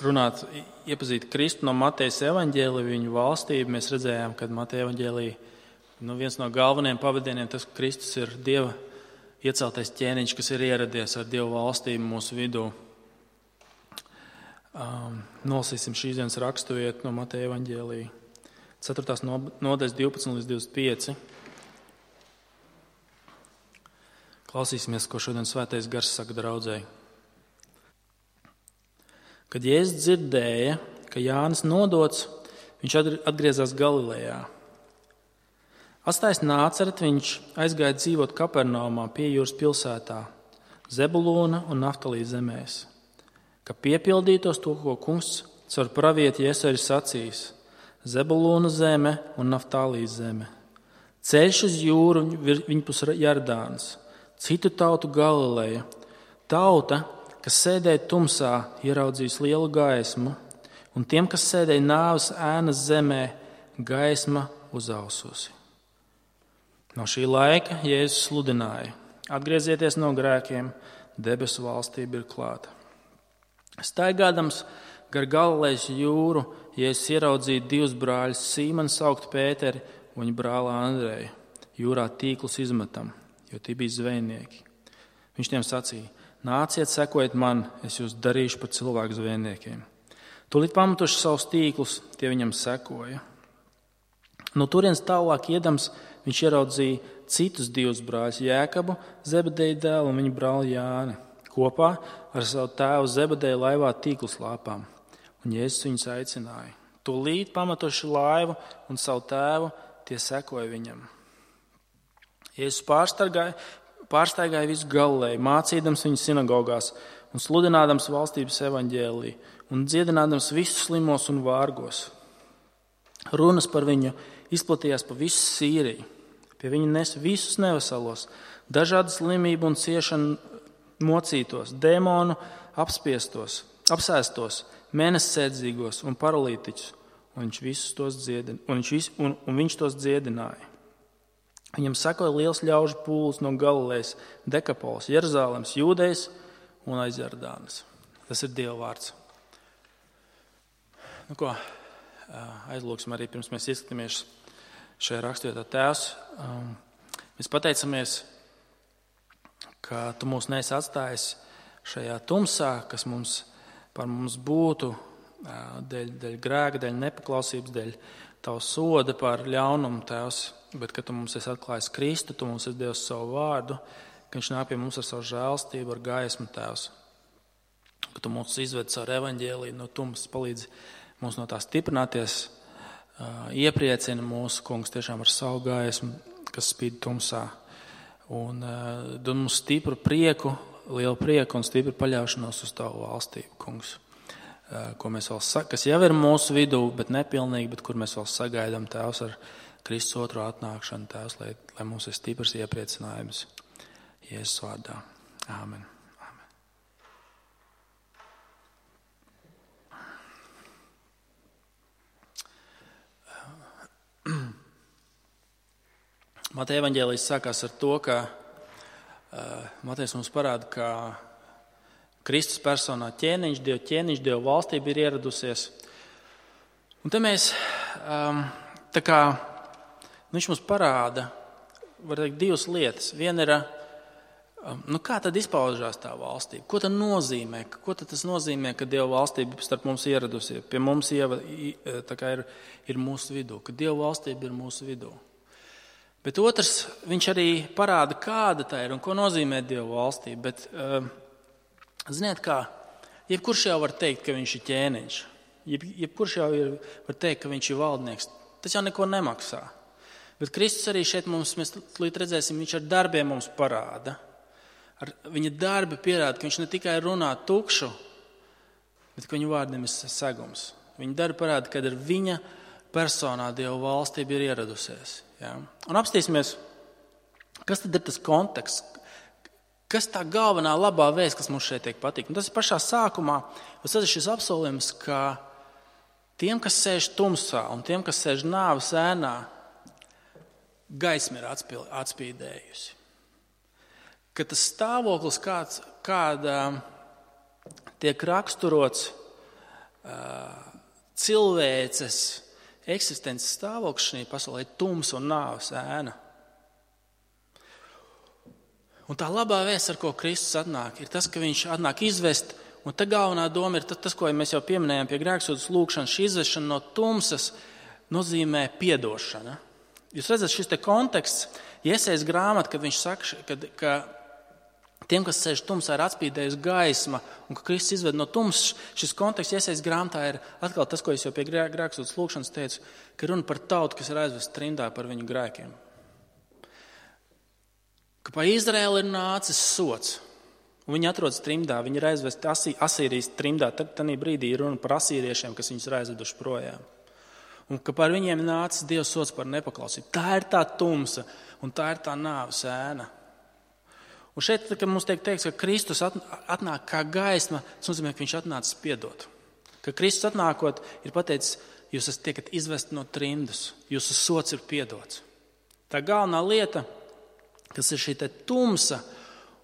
runāt, iepazīt Kristu no Matejas evaņģēlija, viņu valstību. Mēs redzējām, ka Mateja evaņģēlija viens no galvenajiem pavadieniem tas, ka Kristus ir Dieva ieceltais ķēniņš, kas ir ieradies ar Dieva valstību mūsu vidū. Nolasīsim šīs dienas raksturvietu no Mateja evaņģēlija. 4. nodaļas 12 līdz 25. Klausīsimies, ko šodien Svētais Gars saka draudzēji. Kad Jēzus dzirdēja, ka Jānis nodots, viņš atgriezās Galilejā. Atstājis Nācereti, viņš aizgāja dzīvot Kapernaumā pie jūras pilsētā, Zebulūna un Naftalī zemēs, ka piepildītos to, ko kungs caur pravieti Jesaja ir sacījis: Zebulūna zeme un Naftalī zeme. Ceļš uz jūru viņpus Jardāns, citu tautu Galileja. Tauta, kas sēdēja tumsā, ieraudzījis lielu gaismu, un tiem, kas sēdēja nāves ēnas zemē, gaisma uzaususi. No šī laika Jēzus sludināja: atgriezieties no grēkiem, debesu valstība ir klāta. Staigādams gar Galilejas jūru, Jēzus ieraudzīja divus brāļus, Sīmonu saukt Pēteri un viņa brāli Andreju. Jūrā tīklus izmetam, jo tie bija zvejnieki. Viņš tiem sacīja: nāciet, sekojiet man, es jūs darīšu par cilvēku zvejniekiem. Tūlīt pametuši savus tīklus, tie viņam sekoja. No turienes tālāk iedams, viņš ieraudzīja citus divus brāļus, Jēkabu, Zebedeja dēlu un viņa brāli Jāni, kopā ar savu tēvu Zebedeju laivā tīklus lāpām. Un Jēzus viņus aicināja. Tūlīt pametuši laivu un savu tēvu, tie sekoja viņam. Jēzus pārstaigāja visu Galileju, mācīdams viņu sinagogās un sludinādams valstības evaņģēliju un dziedinādams visus slimos un vārgos. Runas par viņu izplatījās pa visu Sīriju. Pie viņa nes visus neveselos, dažādu slimību un ciešanu mocītos, dēmonu apsēstos, mēnessēdzīgos un paralītiķus, un viņš tos dziedināja. Viņam sekoja liels ļaužu pūlis no Galilejas, Dekapolas, Jeruzalemes, Jūdejas un aiz Jardānas. Tas ir Dieva vārds. Aizlūksim arī, pirms mēs ieskatāmies šajā rakstvietā. Tēvs, mēs pateicamies, ka Tu mūs neesi atstājis šajā tumsā, kas par mums būtu dēļ grēka, dēļ nepaklausības, dēļ Tavu soda par ļaunumu, Tēvs, bet ka Tu mums esi atklājis Kristu, Tu mums esi devis savu vārdu, ka Viņš nāk pie mums ar savu žēlstību, ar gaismu, Tēvs, ka Tu mūs izved caur evaņģēliju no tumsas, palīdzi mums no tā stiprināties, iepriecina mūsu Kungs tiešām ar savu gaismu, kas spīd tumsā, un dod mums stipru prieku, lielu prieku un stipru paļaušanos uz Tavu valstību, Kungs, kas jau ir mūsu vidū, bet nepilnīgi, bet kur mēs vēl sagaidām, Tēvs, ar Kristus otro atnākšanu, Tēvs, lai mums ir stiprs iepriecinājums Jēzus vārdā. Āmen. Mateja evaņģēlijs sākās ar to, ka Matejs mums parāda, ka Kristus personā ķēniņš, Dieva valstība ir ieradusies. Un te mēs, viņš mums parāda, var teikt, divas lietas. Viena ir, kā tad izpaužās tā valstība? Ko tad nozīmē? Ko tad tas nozīmē, ka Dieva valstība starp mums ieradusies? Pie mums ir mūsu vidū, ka Dieva valstība ir mūsu vidū. Bet otrs, viņš arī parāda, kāda tā ir un ko nozīmē Dieva valstība. Bet, ziniet kā, jebkurš jau var teikt, ka viņš ir ķēniņš. Jebkurš jau var teikt, ka viņš ir valdnieks. Tas jau neko nemaksā. Bet Kristus arī šeit mēs redzēsim, viņš ar darbiem mums parāda. Viņa darbi pierāda, ka viņš ne tikai runā tukšu, bet ka viņa vārdiem ir segums. Viņa darbi parāda, ka ar viņa personā Dieva valstība ir ieradusies. Ja? Un apstīsimies, kas tad ir tas konteksts, kas tā galvenā labā vēsts, kas mums šeit tiek patīk. Un tas ir pašā sākumā, tas ir šis apsolījums, ka tiem, kas sēž tumsā un tiem, kas sēž nāves ēnā, gaisma ir atspīdējusi. Ka tas stāvoklis, kāda tiek raksturots cilvēces eksistences stāvoklis šajā pasaulē ir tumsa un nāves ēna. Un tā labā vēsts, ar ko Kristus atnāk, ir tas, ka viņš atnāk izvest, un te galvenā doma ir tas, ko mēs jau pieminējām pie grēksūdzes lūgšanas, šī izvešana no tumsas nozīmē piedošana. Jūs redzat, šis te konteksts, Jesajas grāmata, kad viņš saka, ka tiem, kas sēž tumsā, ir atspīdējusi gaisma, un ka Kristus izved no tumsas, šis konteksts Jesajas grāmatā ir atkal tas, ko es jau pie grēksūdzes lūgšanas teicu, ka runa par tautu, kas ir aizvest trimdā par viņu grēkiem. Ka pa Izraēlu ir nācis sots, un viņi atrodas trimdā, viņi ir aizvesti Asīrijas trimdā, tanī brīdī ir runa par asīriešiem, kas viņus ir aizveduši projām. Un ka par viņiem nācis Dieva sots par nepaklausību. Tā ir tā tumsa, un tā ir tā nāves ēna. Un šeit, kad mums tiek teikts, ka Kristus atnāk kā gaisma, tas nozīmē, ka viņš atnācis piedot. Ka Kristus atnākot ir pateicis, jūs tiekat izvesti no trimdas, jūsu sots ir piedots. Tā galvenā lieta, kas ir šī te tumsa,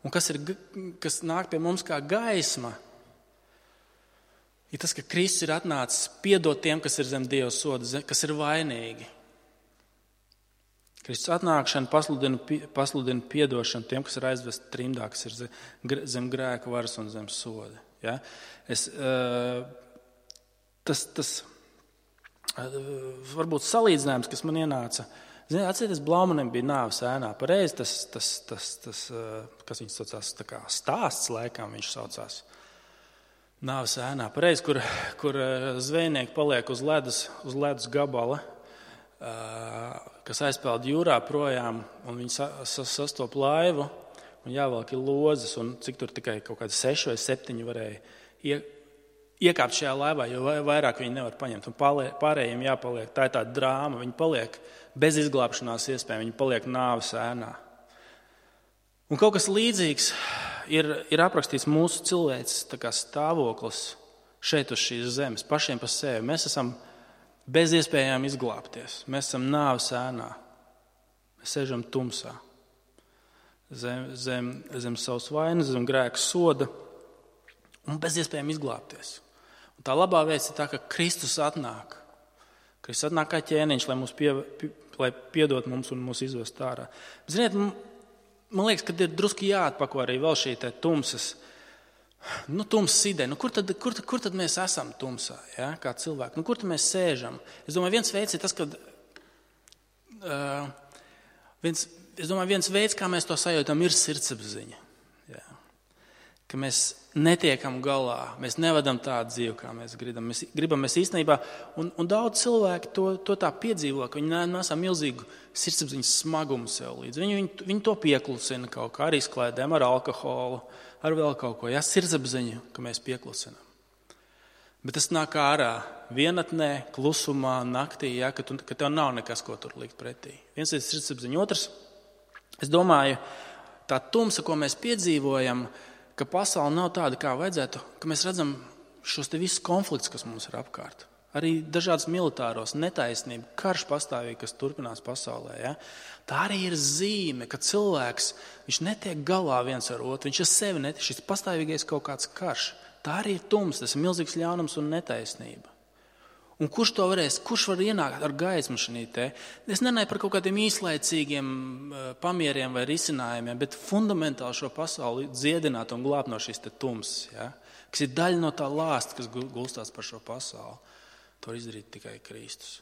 un kas nāk pie mums kā gaisma, ir tas, ka Kristus ir atnācis piedot tiem, kas ir zem Dieva soda, kas ir vainīgi. Kristus atnākšana pasludina piedošanu tiem, kas ir aizvesti trimdā, kas ir zem grēka varas un zem soda. Ja? Tas varbūt salīdzinājums, kas man ienāca. Atcerieties, Blaumanim bija nāves ēnā. Pareizi tas, kas viņš saucās, tā kā stāsts laikam viņš saucās. Nāves ēnā. Pareizi, kur zvejnieki paliek uz ledus gabala, kas aizpeld jūrā projām, un viņi sastop laivu, un jāvelk ir lozes, un cik tur tikai kaut kādi 6 vai 7 varēja iekāpt šajā laivā, jo vairāk viņi nevar paņemt, un pārējiem jāpaliek. Tā ir tā drāma, viņi paliek bez izglābšanās iespējām, viņi paliek nāves ēnā. Un kaut kas līdzīgs ir aprakstīts mūsu cilvēces stāvoklis šeit uz šīs zemes, pašiem par sevi. Mēs esam bez iespējām izglābties. Mēs esam nāves ēnā. Mēs sēžam tumsā. Zem savas vainas, zem grēka soda. Un bez iespējām izglābties. Un tā labā vēsts ir tā, ka Kristus atnāk. Kristus atnāk kā ķēniņš, lai piedot mums un mūs izvest ārā. Ziniet, man liekas, ka ir druski jāatpako arī vēl šī tumsas. Tumsas ideja. Kur tad mēs esam tumsā, ja, kā cilvēki? Kur tad mēs sēžam? Es domāju, viens veids ir tas, ka viens veids, kā mēs to sajūtam, ir sirdsapziņa. Ja. Ka mēs netiekam galā, mēs nevadam tādu dzīvi, kā mēs gribam. Mēs īstenībā, un daudz cilvēki to tā piedzīvo, ka viņi nesā milzīgu sirdsapziņas smagumu sev līdz. Viņi to pieklusina kaut kā ar izklaidēm, ar alkoholu, ar vēl kaut ko. Jā, sirdsapziņu, ka mēs pieklusinām. Bet tas nāk ārā vienatnē, klusumā, naktī, jā, ka tev nav nekas, ko tur likt pretī. Viens ir sirdsapziņa. Otrs, es domāju, tā tumsa, ko mēs piedzīvojam, ka pasaule nav tāda, kā vajadzētu, ka mēs redzam šos te visus konfliktus, kas mums ir apkārt. Arī dažādas militāros, netaisnība, karš pastāvīgi, kas turpinās pasaulē. Ja? Tā arī ir zīme, ka cilvēks, viņš netiek galā viens ar otru, viņš ar sevi netiek, šis pastāvīgais kaut kāds karš. Tā arī ir tums, tas ir milzīgs ļaunums un netaisnība. Un kurš var ienākt ar gaismu šī te? Es nenāju par kaut kādiem īslaicīgiem pamieriem vai risinājumiem, bet fundamentāli šo pasauli dziedināt un glābt no šīs te tums, ja? Kas ir daļa no tā lāsta, kas gulstās par šo pasauli. To var izdarīt tikai Kristus.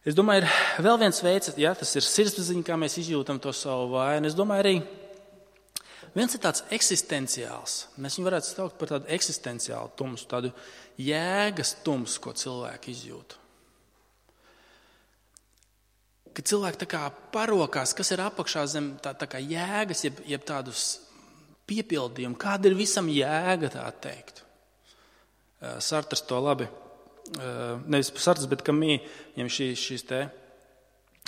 Es domāju, ir vēl viens veids, ja, tas ir sirdsapziņa, kā mēs izjūtam to savu vainu. Es domāju, arī viens ir tāds eksistenciāls. Mēs viņu varētu saukt par tādu eksistenciālu tumsu, tādu jēgas tumsu, ko cilvēki izjūt. Kad cilvēki tā kā parokās, kas ir apakšā zem tā kā jēgas, jeb tādus piepildījumu, kāda ir visam jēga, tā teikt. Sartrs to labi, nevis Sartrs, bet Kamī, viņam šīs te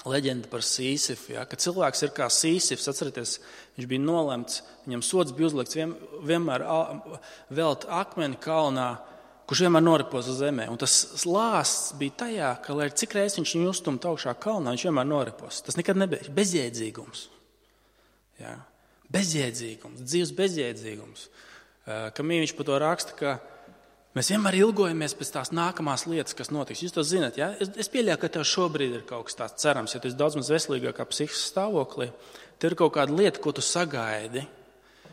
leģenda par Sīsifu, ja, ka cilvēks ir kā Sīsifs, atcerieties, viņš bija nolemts, viņam sods bija uzlikts vienmēr velt akmeni kalnā, kurš vienmēr noripos uz zemē. Un tas lāsts bija tajā, ka, lai cik reiz viņš viņu uzstumt augšā kalnā, viņš vienmēr noripos. Tas nekad nebija bezjēdzīgums. Ja. Bezjēdzīgums, dzīves bezjēdzīgums. Kamī viņš par to raksta, ka Mēs vienmēr ilgojamies pēc tās nākamās lietas, kas notiks. Jūs to zināt, ja? Es pieļauju, ka tev šobrīd ir kaut kas tāds cerams, ja tu esi daudz maz veselīgākā psihiskā stāvoklī. Tev ir kaut kāda lieta, ko tu sagaidi,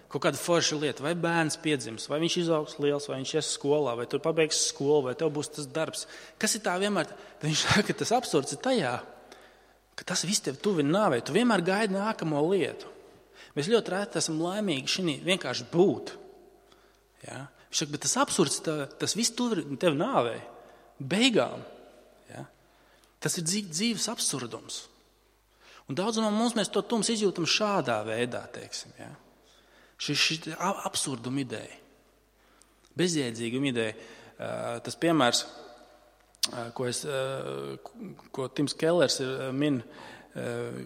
kaut kāda forša lieta, vai bērns piedzims, vai viņš izaugs liels, vai viņš ies skolā, vai tu pabeigs skolu, vai tev būs tas darbs. Kas ir tā vienmēr? Viņš saka, ka tas absurds ir tajā, ka tas viss tev tuvi nāvei. Tu vienmēr gaidi nākamo lietu. Mēs ļoti reti esam laimīgi šī vienkārši būt. Ja? Viņš saka, bet tas absurds, tas viss tuvi tev nāvei. Beigām. Ja? Tas ir dzīves absurdums. Un daudz no mums mēs to tums izjūtam šādā veidā, teiksim. Ja? Šī absurduma ideja. Bezjēdzīguma ideja. Tas piemērs, ko Tims Kellers min,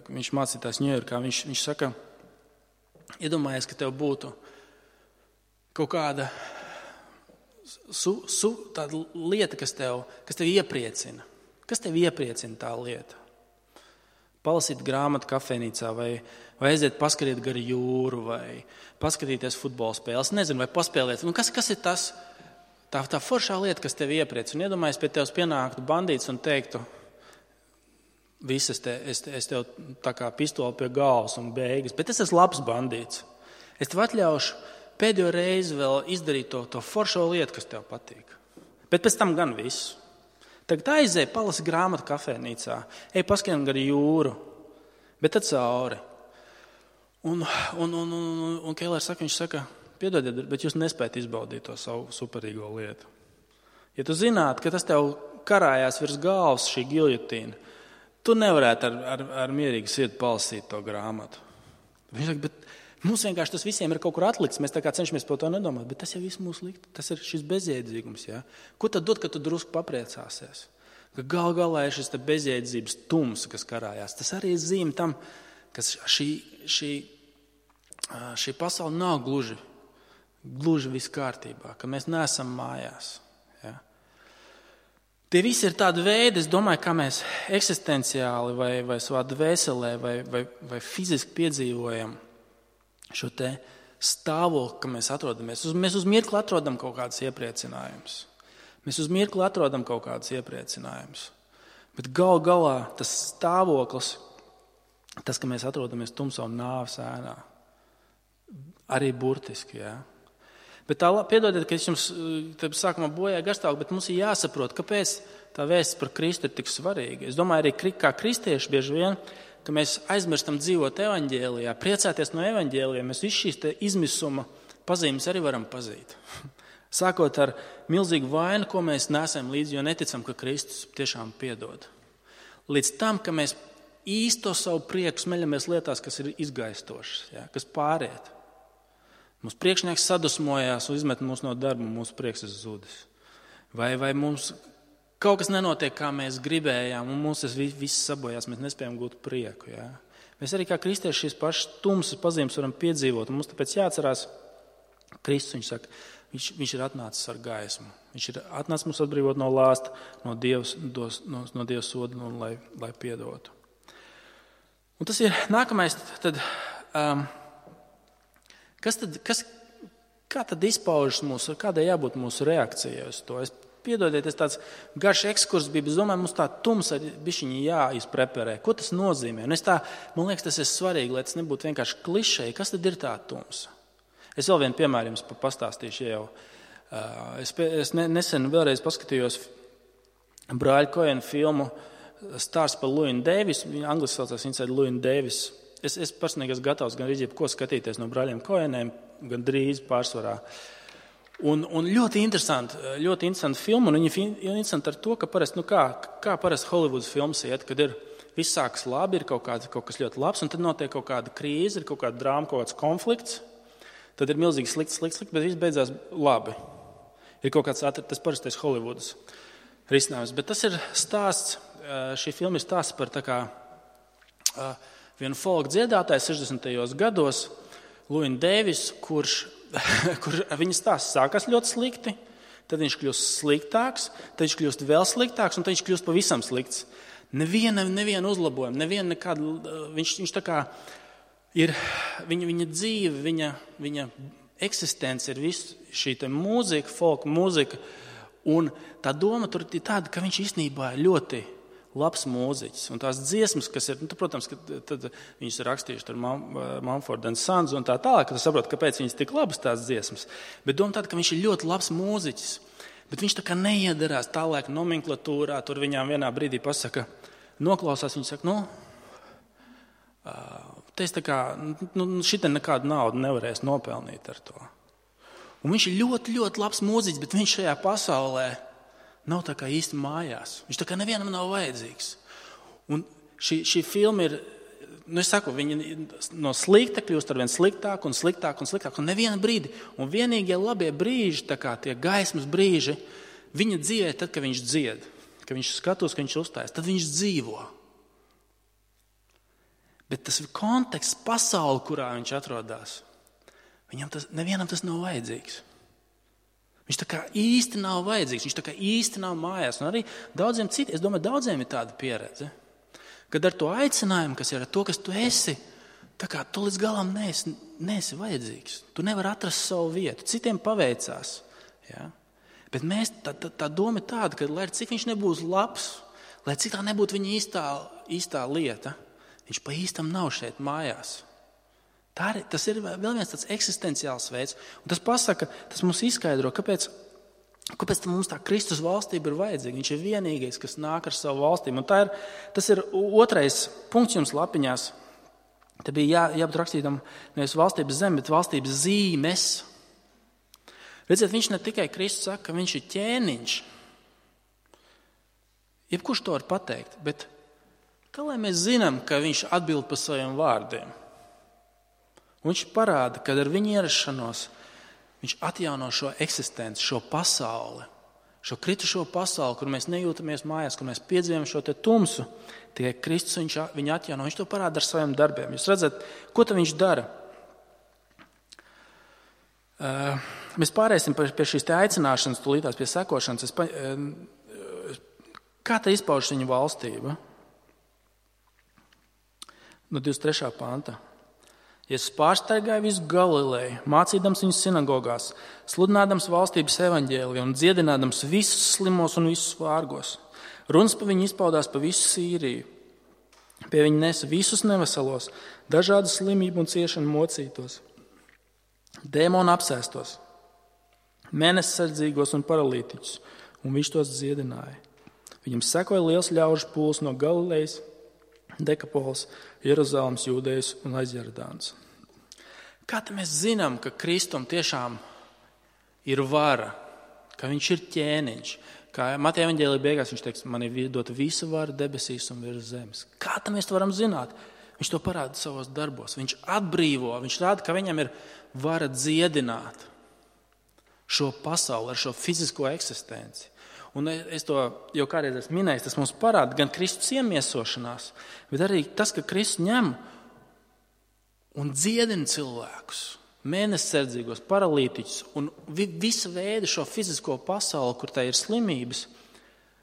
viņš mācītājs Ņujorkā, viņš saka, iedomājies, ka tev būtu kaut kāda tāda lieta, kas tev iepriecina. Kas tev iepriecina tā lieta? Palasīt grāmatu kafejnīcā, vai aiziet paskatīt gar jūru, vai paskatīties futbola spēles, nezinu, vai paspēlēt. Kas ir tas, tā foršā lieta, kas tev iepriecina? Un iedomājies, pie tevis pienāktu bandīts un teiktu, viss es tev tā kā pistoli pie galvas un beigas, bet es esmu labs bandīts. Es tev atļaušu pēdējo reizi vēl izdarīt to foršo lietu, kas tev patīk. Bet pēc tam gan viss. Tagad aizēj, palasi grāmatu kafejnīcā, ej paskatīt gar jūru, bet tad cauri. Un Kellers saka, piedodiet, bet jūs nespējat izbaudīt to savu superīgo lietu. Ja tu zinātu, ka tas tev karājās virs galvas šī giljotīna, tu nevarētu ar mierīgu sirdi palasīt to grāmatu. Viņš saka, bet mums vienkārši tas visiem ir kaut kur atlikts, mēs tā kā cenšamies par to nedomāt, bet tas jau viss mūs likt, tas ir šis bezjēdzīgums. Ja? Ko tad dod, kad tu drusku papriecāsies? Ka galā ir šis bezjēdzības tums, kas karājās. Tas arī ir zīme tam, ka šī pasaule nav gluži viss kārtībā, ka mēs neesam mājās. Ja? Tie visi ir tādi veidi, es domāju, kā mēs eksistenciāli vai savā dvēselē vai fiziski piedzīvojam šo te stāvokli, ka mēs atrodamies. Mēs uz mirkli atrodam kaut kādas iepriecinājumus. Bet galā tas stāvoklis, tas, ka mēs atrodamies tumsā un nāves ēnā, arī burtiski, jā. Bet piedodiet, ka es jums sākumā bojāju garstāvokli, bet mums ir jāsaprot, kāpēc tā vēsts par Kristu ir tik svarīga. Es domāju, arī kā kristieši bieži vien, ka mēs aizmirstam dzīvot evaņģēlijā, priecāties no evaņģēlijā, mēs visu šīs te izmisuma pazīmes arī varam pazīt. Sākot ar milzīgu vainu, ko mēs nesam līdzi, jo neticam, ka Kristus tiešām piedod. Līdz tam, ka mēs īsto savu prieku smeļamies lietās, kas ir izgaistošas, ja, kas pāriet. Mums priekšnieks sadusmojās un izmet mūs no darba, un mūsu prieks ir zudis. Vai mums kaut kas nenotiek, kā mēs gribējām, un mums tas viss sabojās, mēs nespējam gūt prieku. Ja? Mēs arī kā kristieši šīs pašas tumsas pazīmes varam piedzīvot, un mums tāpēc jāatcerās, Kristus, viņš saka, viņš ir atnācis ar gaismu. Viņš ir atnācis mums atbrīvot no lāsta, no Dieva soda, un lai piedotu. Un tas ir nākamais, kā tad izpaužas kādai jābūt mūsu reakcijai uz to? Piedodiet, tas tāds garš ekskurs bija, bet es domāju, mums tā tumsa ir bišķiņi jāizpreparē. Ko tas nozīmē? Un man liekas, tas ir svarīgi, lai tas nebūtu vienkārši klišeji. Kas tad ir tā tumsa? Es vēl vienu piemēru jums pastāstīšu jau. Es nesen vēlreiz paskatījos brāļa Koena filmu Stāsts par Llewyn Davis. Angliski saucās Inside Llewyn Davis. Es personīgi esmu gatavs gan arī ko skatīties no brāļiem Koeniem, gan drīz pārsvarā. Un ļoti interesanti filma, un viņa ir interesanti ar to, ka parasti, kā parasti Hollywoods filmas iet, kad viss sākas labi, ir kaut kas ļoti labs, un tad notiek kaut kāda krīze, ir kaut kāda drāma, kaut kāds konflikts, tad ir milzīgi slikts, bet viss beidzās labi. Ir kaut kāds, tas parastais Hollywoods risinājums, bet tas ir stāsts, šī filma ir stāsts par tā kā vienu folk dziedātāju 60. gados, Llewyn Davis, kurš viņa stāsts sākās ļoti slikti, tad viņš kļūst sliktāks, tad viņš kļūst vēl sliktāks, un tad viņš kļūst pavisam slikts. Neviena uzlabojuma, viņš tā kā ir, viņa dzīve, viņa eksistence ir viss šī mūzika, folk mūzika. Un tā doma tur ir tāda, ka viņš īstenībā ir ļoti labs mūziķis. Un tās dziesmas, kas ir, protams, ka tad viņas ir rakstījuši ar Mumford & Sons un tā tālāk, ka tu saproti, kāpēc viņas tik labas tās dziesmas. Bet doma tāda, ka viņš ir ļoti labs mūziķis. Bet viņš tā kā neiedarās tālāk nomenklatūrā, tur viņām vienā brīdī pasaka, noklausās, viņi saka, te es tā kā, šitā nekādu naudu nevarēs nopelnīt ar to. Un viņš ir ļoti, ļoti labs mūziķis, bet viņš šajā pasaulē nav tā kā īsti mājās. Viņš tā kā nevienam nav vajadzīgs. Un šī filma ir, es saku, viņa no slikta kļūst arvien sliktāk un sliktāk un sliktāk. Un neviena brīdi. Un vienīgie labie brīži, tā kā tie gaismas brīži, viņa dzīvē tad, kad viņš dzied. Kad viņš skatos, ka viņš uzstājas, tad viņš dzīvo. Bet tas konteksts, pasauli, kurā viņš atrodas, nevienam tas nav vajadzīgs. Viņš tā kā īsti nav vajadzīgs, viņš tā kā īsti nav mājās. Un arī daudziem citiem, es domāju, daudziem ir tāda pieredze, kad ar to aicinājumu, kas ir ar to, kas tu esi, tā kā tu līdz galam neesi vajadzīgs. Tu nevari atrast savu vietu. Citiem paveicās. Ja? Bet tā doma ir tāda, ka lai cik viņš nebūs labs, lai cik tā nebūtu viņa īstā lieta, viņš pa īstam nav šeit mājās. Tas ir vēl viens tāds eksistenciāls veids. Un tas mums izskaidro, kāpēc mums tā Kristus valstība ir vajadzīga. Viņš ir vienīgais, kas nāk ar savu valstību. Un tas ir otrais punkts jums lapiņās. Te bija jābūt rakstītam nevis valstības zeme, bet valstības zīmes. Redziet, viņš ne tikai Kristus saka, ka viņš ir ķēniņš. Jebkurš to var pateikt, bet kā lai mēs zinām, ka viņš atbild par saviem vārdiem? Un viņš parāda, ka ar viņa ierašanos viņš atjauno šo eksistenci, šo pasauli, šo kritušo pasauli, kur mēs nejūtamies mājās, kur mēs piedzīvojam šo te tumsu. Tikai Kristus viņu atjauno, viņš to parāda ar saviem darbiem. Jūs redzat, ko tad viņš dara? Mēs pārēsim pie šīs te aicināšanas, tūlītās pie sekošanas. Kā te izpaužas viņa valstība? No 23. panta. Jēzus pārsteigāja visu Galileju, mācīdams viņus sinagogās, sludinādams valstības evaņģēliju un dziedinādams visus slimos un visus vārgos. Runas pa viņu izpaudās pa visu Sīriju. Pie viņa nesa visus neveselos, dažādu slimību un ciešanu mocītos, dēmonu apsēstos, mēnessardzīgos un paralītiķus, un viņš tos dziedināja. Viņam sekoja liels ļaužu pūls no Galilejas, Dekapols, Jeruzalemes, Jūdejas un aiz Jordānas. Kā te mēs zinām, ka Kristum tiešām ir vara, ka viņš ir ķēniņš? Kā Mateja evaņģēlija beigās viņš teiks, man ir dota visa vara debesīs un virs zemes. Kā te mēs to varam zināt? Viņš to parāda savos darbos. Viņš atbrīvo, viņš rāda, ka viņam ir vara dziedināt šo pasauli ar šo fizisko eksistenci. Un es to jau kādreiz esmu minējis, tas mums parāda gan Kristus iemiesošanās, bet arī tas, ka Kristus ņem un dziedina cilvēkus, mēnessardzīgos, paralītiķus un visu veidu šo fizisko pasauli, kur tā ir slimības.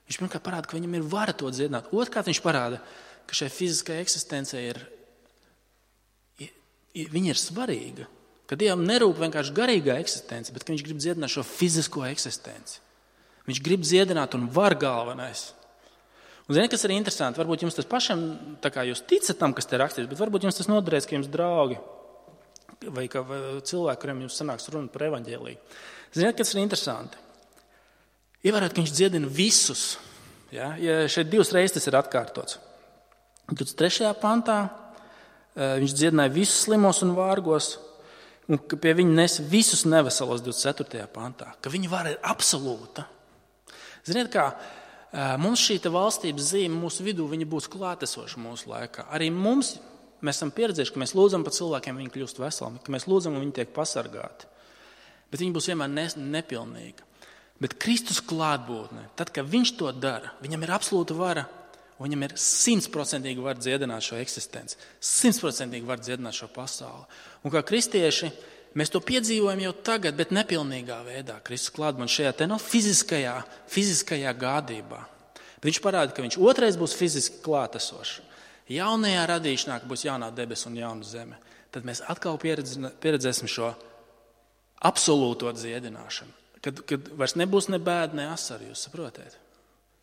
Viņš pirmkārt parāda, ka viņam ir vara to dziedināt. Otrkārt viņš parāda, ka šai fiziskajai eksistencei viņa ir svarīga. Ka Dievam nerūp vienkārši garīgā eksistence, bet ka viņš grib dziedināt šo fizisko eksistenci. Viņš grib dziedināt un var galvenais. Un ziniet, kas ir interesanti? Varbūt jums tas pašam, tā kā jūs ticat tam, kas te rakstīts, bet varbūt jums tas noderēs, ka jums draugi vai cilvēki, kuriem jums sanāks runa par evaņģēliju. Ziniet, kas ir interesanti? Ievērot, ka viņš dziedina visus. Ja šeit 2 reizes tas ir atkārtots. 23. pantā viņš dziedināja visus slimos un vārgos, un ka pie viņa nes visus neveselos 24. pantā. Ka viņa vara ir absolūta. Ziniet, kā mums šī valstības zīme mūsu vidū būs klātesoša mūsu laikā. Arī mēs esam pieredzējuši, ka mēs lūdzam par cilvēkiem, viņi kļūst veseli, ka mēs lūdzam un viņi tiek pasargāti. Bet viņi būs vienmēr nepilnīgi. Bet Kristus klātbūtne, tad, kad viņš to dara, viņam ir absolūta vara, un viņam ir 100% vara dziedināt šo eksistenci, 100% vara dziedināt šo pasauli. Un kā kristieši, mēs to piedzīvojam jau tagad, bet nepilnīgā veidā. Kristus klātbūtne šajā fiziskajā gādībā. Bet viņš parāda, ka viņš otrais būs fiziski klātesošs. Jaunajā radīšanā būs jaunā debes un jauna zeme. Tad mēs atkal pieredzēsim šo absolūto dziedināšanu. Kad vairs nebūs ne bēda, ne asari, jūs saprotat?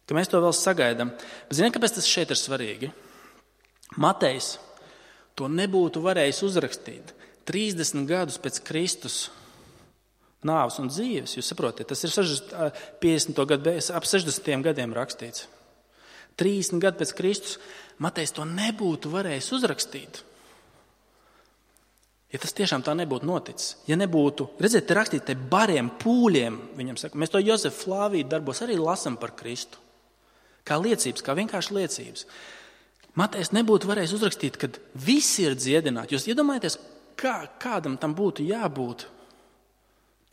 Ka mēs to vēl sagaidām. Bet ziniet, kāpēc tas šeit ir svarīgi? Matejs to nebūtu varējis uzrakstīt 30 gadus pēc Kristus nāves un dzīves. Jūs saprotat, tas ir 50. gadu, ap 60. gadiem rakstīts. 30 gadu pēc Kristus Matejs to nebūtu varējis uzrakstīt. Ja tas tiešām tā nebūtu noticis, ja nebūtu, redziet, te rakstīt te bariem, pūļiem, viņam saka, mēs to Jozefa Flāvija darbos arī lasam par Kristu. Kā liecības, kā vienkārši liecības. Matejs nebūtu varējis uzrakstīt, kad visi ir dziedināti. Jūs iedomājaties, kādam tam būtu jābūt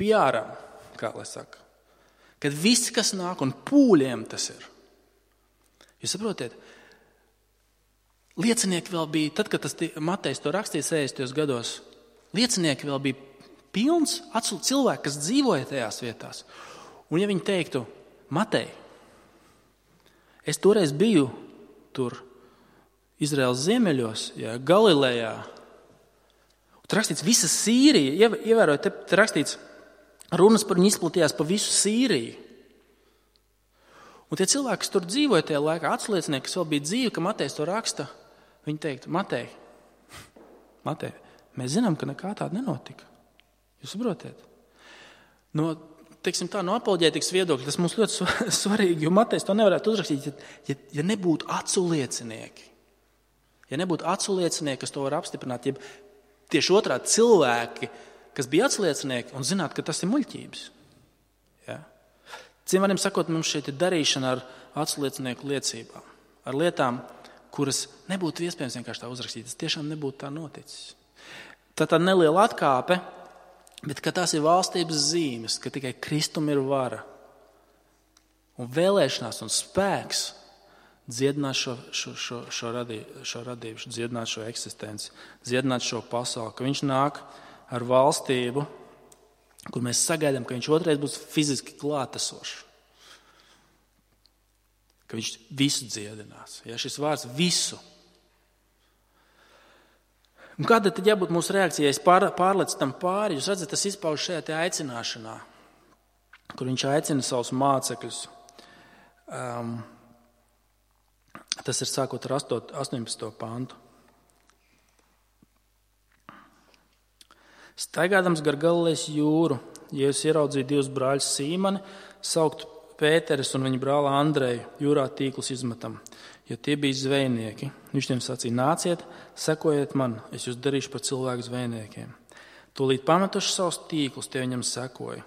piāram, kā lai saka. Kad visi, kas nāk, un pūļiem tas ir. Jūs saprotiet, liecinieki vēl bija, tad, kad Matejs to rakstīja 60. gados, liecinieki vēl bija pilns cilvēki, kas dzīvoja tajās vietās. Un ja viņi teiktu, Matej, es toreiz biju tur Izraēlas ziemeļos, Galilejā. Tur rakstīts visa Sīrija, ievērojot, te rakstīts runas par viņu izplatījās pa visu Sīriju. Un tie cilvēki, kas tur dzīvoja tajā laikā, atsliecinieki, kas vēl bija dzīvi, ka Matejs to raksta, viņi teiktu, Matej, mēs zinām, ka nekā tāda nenotika. Jūs saprotiet? No apoloģētikas viedokļa tas mums ļoti svarīgi, jo Matejs to nevarētu uzrakstīt, ja nebūtu acu liecinieki. Ja nebūtu acu liecinieki, kas to var apstiprināt, ja tieši otrādi cilvēki, kas bija atsliecinieki un zinātu, ka tas ir muļķības. Ja? Citiem vārdiem sakot, mums šeit ir darīšana ar atsliecinieku liecībām, ar lietām, kuras nebūtu iespējams vienkārši tā uzrakstīt. Tas tiešām nebūtu tā noticis. Tā tāda neliela atkāpe, bet ka tās ir valstības zīmes, ka tikai Kristum ir vara un vēlēšanās un spēks dziedināt šo radību, dziedināt šo eksistenci, dziedināt šo pasauli, ka viņš nāk ar valstību, kur mēs sagaidām, ka viņš otrais būs fiziski klātesošs. Ka viņš visu dziedinās. Ja, šis vārds visu. Un kāda tad jābūt mūsu reakcijai? Es pārlecu tam pāri. Jūs redzat, tas izpauž šajā te aicināšanā, kur viņš aicina savus mācekļus. Tas ir sākot ar 18. pantu. Staigādams gar Galilejas jūru, Jēzus ieraudzīja divus brāļus Sīmani, saukt Pēteris un viņa brāli Andreju, jūrā tīklus izmetam, jo tie bija zvejnieki. Viņš tiem sacīja, nāciet, sekojiet man, es jūs darīšu par cilvēku zvejniekiem. Tūlīt pametuši savus tīklus, tie viņam sekoja.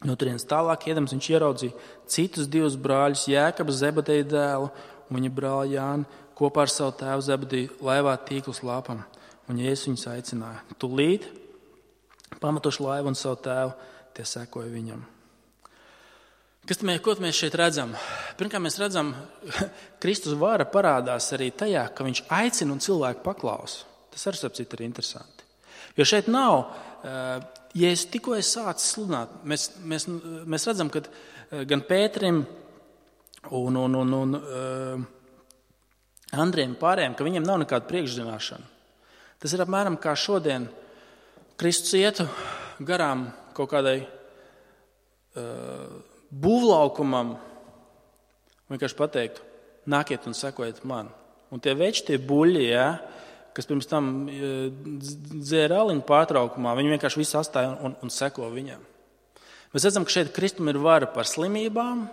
No turienes tālāk iedams viņš ieraudzīja citus divus brāļus, Jēkabu, Zebedeja dēlu un viņa brāli Jāni, kopā ar savu tēvu Zebedeju laivā tīklus lāpam. Un Jēzus viņus aicināja. Tūlīt pametuši laivu un savu tēvu, tie sekoja viņam. Ko mēs šeit redzam? Pirmkārt, mēs redzam, Kristus vara parādās arī tajā, ka viņš aicina un cilvēku paklausa. Tas arī sapcīt ir interesanti. Jo šeit nav, ja es tikko sācis sludināt, mēs redzam, ka gan Pēterim un Andriem pārējiem, ka viņiem nav nekāda priekšzināšana. Tas ir apmēram kā šodien Kristus ietu garām kaut kādai būvlaukumam, vienkārši pateiktu, nākiet un sekojiet man. Un tie veči, tie buļļi, kas pirms tam dzēra aliņu pārtraukumā, viņi vienkārši visu astāja un seko viņam. Mēs redzam, ka šeit Kristum ir vara par slimībām,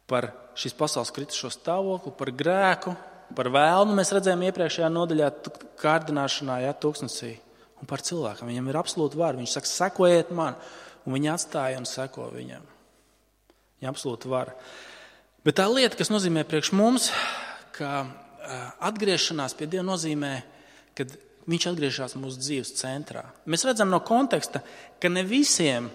par šīs pasaules kritušo stāvokli, par grēku, par vēlnu. Mēs redzējām iepriekšējā nodaļā kārdināšanā, tūkstnesī, un par cilvēkam. Viņam ir absolūti vara. Viņš saka, sekojiet man. Un viņi atstāja un seko viņam. Viņa absolūti vara. Bet tā lieta, kas nozīmē priekš mums, ka atgriešanās pie Dieva nozīmē, kad viņš atgriežas mūsu dzīves centrā. Mēs redzam no konteksta, ka ne visiem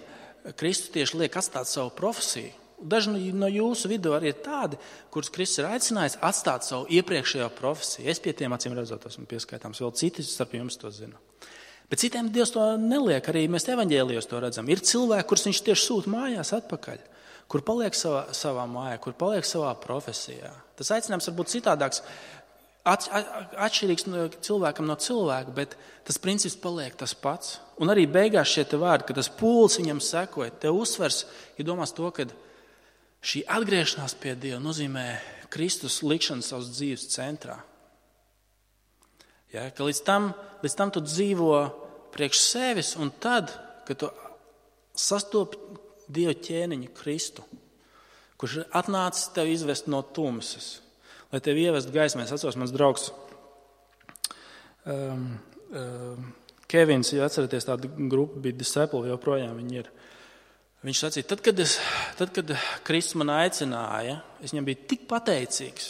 Kristus tieši liek atstāt savu profesiju. Daži no jūsu vidū arī ir tādi, kurus Kristus ir aicinājis atstāt savu iepriekšējo profesiju. Es pie tiem acīm redzot esmu pieskaitāms, vēl citi starp jums to zina. Bet citiem Dievs to neliek, arī mēs evaņģēlijos to redzam. Ir cilvēki, kurus viņš tieši sūta mājās atpakaļ, kur paliek savā mājā, kur paliek savā profesijā. Tas aicinājums var būt citādāks atšķirīgs cilvēkam no cilvēka, bet tas princips paliek tas pats. Un arī beigās šie te vārdi, ka tas pūlis viņam sekoja, te uzsvers, ja domās to, ka šī atgriešanās pie Dieva nozīmē Kristus likšanu savas dzīves centrā. Ja, ka līdz tam tu dzīvo priekš sevis, un tad, kad tu sastopi Dieva ķēniņu Kristu, kurš ir atnācis tev izvest no tumsas, lai tevi ievest gaismā. Es atceros, mans draugs Kevins, ja atceraties, tāda grupa bija Disciple, joprojām viņi ir. Viņš sacīja, tad, kad Kristus man aicināja, es viņam biju tik pateicīgs.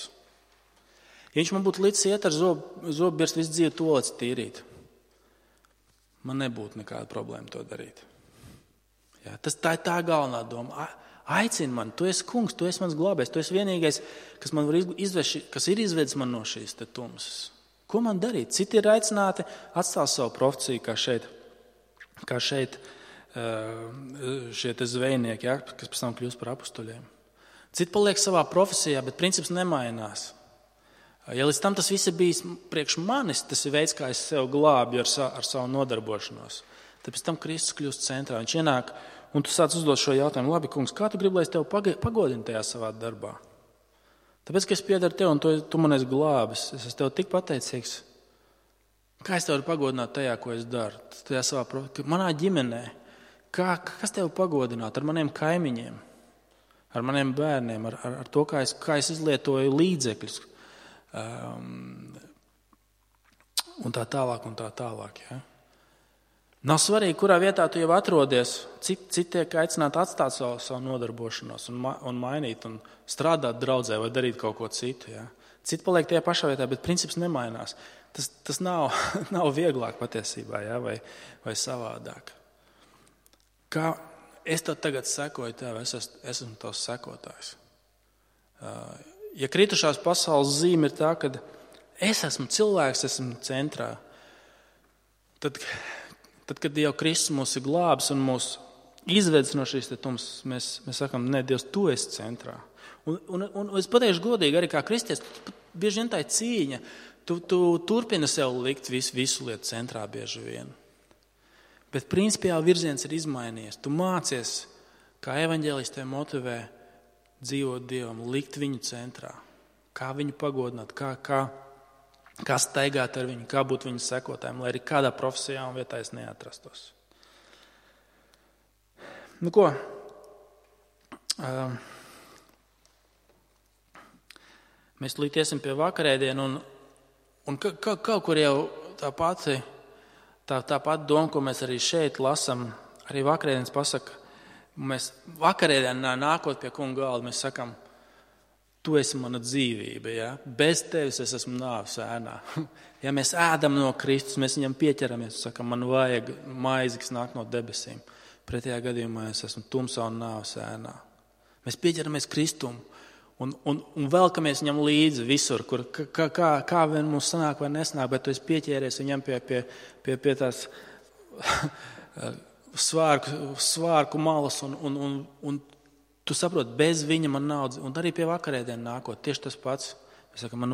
Ja viņš man būtu līdz iet ar zobbirstu visu dzīvi toalets tīrīt, man nebūtu nekāda problēma to darīt. Ja, tā ir tā galvenā doma. Aicini man, tu esi kungs, tu esi mans glābējs, tu esi vienīgais, kas man var kas ir izvedis man no šīs te tumsas. Ko man darīt? Citi ir aicināti atstāt savu profesiju, kā šeit šie te zvejnieki, ja, kas pēc tam kļūst par apustuļiem. Citi paliek savā profesijā, bet princips nemainās. Ja līdz tam tas viss ir bijis priekš manis, tas ir veids, kā es sev glābju ar savu nodarbošanos. Tad pēc tam Kristus kļūst centrā. Viņš ienāk, un tu sāc uzdot šo jautājumu, labi, kungs, kā tu gribi, lai es tev pagodinu tajā savā darbā? Tāpēc, ka es piedaru tev, un tu man esi glābis, es esmu tev tik pateicīgs. Kā es tev varu pagodināt tajā, ko es daru? Tajā savā manā ģimenē. Kas tev pagodināt? Ar maniem kaimiņiem, ar maniem bērniem, ar to, kā es izlietoju līdzekļus. Un tā tālāk. Ja? Nav svarīgi, kurā vietā tu jau atrodies. Citi tiek aicināti atstāt savu nodarbošanos un mainīt un strādāt draudzē vai darīt kaut ko citu. Ja? Citi paliek tajā pašā vietā, bet princips nemainās. Tas nav vieglāk patiesībā, ja? vai savādāk. Kā es tad tagad sekoju tev, es esmu tavs sekotājs. Ja kritušās pasaules zīme ir tā, ka es esmu cilvēks, esmu centrā, tad, kad jau Kristus mūs ir glābis un mūs izvedis no šīs tumsas, mēs sakam, ne, Dievs, tu esi centrā. Un es pateikšu godīgi, arī kā kristietis, bieži vien tā ir cīņa. Tu turpini sev likt visu lietu centrā bieži vien. Bet principiāli virziens ir izmainījies. Tu mācies, kā evaņģēlijs tevi motivē dzīvot Dievam, likt viņu centrā. Kā viņu pagodināt, kā staigāt ar viņu, kā būt viņu sekotājiem, lai arī kādā profesijā un vietā es neatrastos. Nu ko? Mēs tūlīt iesim pie vakarēdienu un kaut kur jau tā pati doma, ko mēs arī šeit lasam, arī vakarēdienas pasaka, mēs vakarēdienā nākot pie kunga galda, mēs sakam, tu esi mana dzīvība, ja? Bez tevis es esmu nāves ēnā. Ja mēs ēdam no Kristus, mēs viņam pieķeramies, sakam, man vajag maizi, kas nāk no debesīm. Pretējā gadījumā es esmu tumsā un nāves ēnā. Mēs pieķeramies Kristumu un velkamies viņam līdzi visur, kur kā vien mums sanāk vai nesanāk, bet tu esi pieķēries viņam pie tās svārku malas un tu saproti, bez viņa man nav, un arī pie vakarēdienu nākot, tieši tas pats. Mēs sakam, man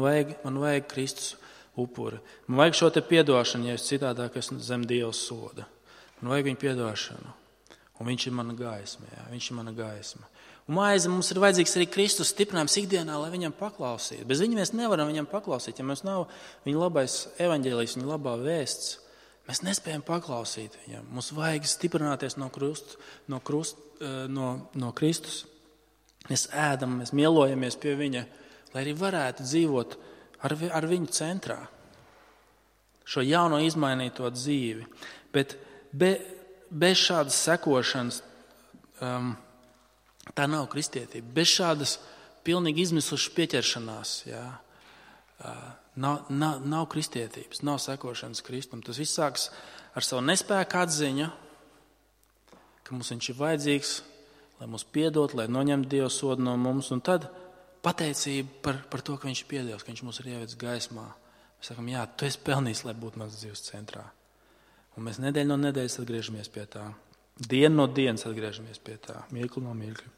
vajag Kristus upuri. Man vajag šo te piedošanu, ja es citādāk esmu zem Dieva soda. Man vajag viņu piedošanu. Un viņš ir mana gaisma, jā, viņš ir mana gaisma. Un maize mums ir vajadzīgs arī Kristus stiprinājums ikdienā, lai viņam paklausītu. Bez viņa mēs nevaram viņam paklausīt. Ja mums nav viņa labais evaņģēlijs, viņa labā vēsts, mēs nespējam paklausīt viņam. Mums vajag stiprināties no Kristus. Mēs ēdam, mēs mielojamies pie viņa, lai arī varētu dzīvot ar viņu centrā. Šo jauno izmainīto dzīvi. Bet bez šādas sekošanas tā nav kristietība. Bez šādas pilnīgi izmisušas pieķeršanās, jā, nav kristietības, nav sekošanas Kristum. Tas viss sāks ar savu nespēku atziņu, ka mums viņš ir vajadzīgs, lai mūs piedot, lai noņemtu Dieva sodu no mums, un tad pateicība par to, ka viņš ir piedevs, ka viņš mūs ir ievedis gaismā. Mēs sakam, jā, tu esi pelnījis, lai būtu mans dzīves centrā. Un mēs nedēļu no nedēļas atgriežamies pie tā. Dienu no dienas atgriežamies pie tā. Mirkli no mirkļa.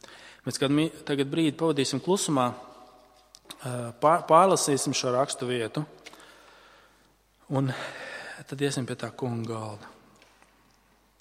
Mēs tagad brīdi pavadīsim klusumā, Pārlasīsim šo rakstu vietu un tad iesim pie tā kunga galda.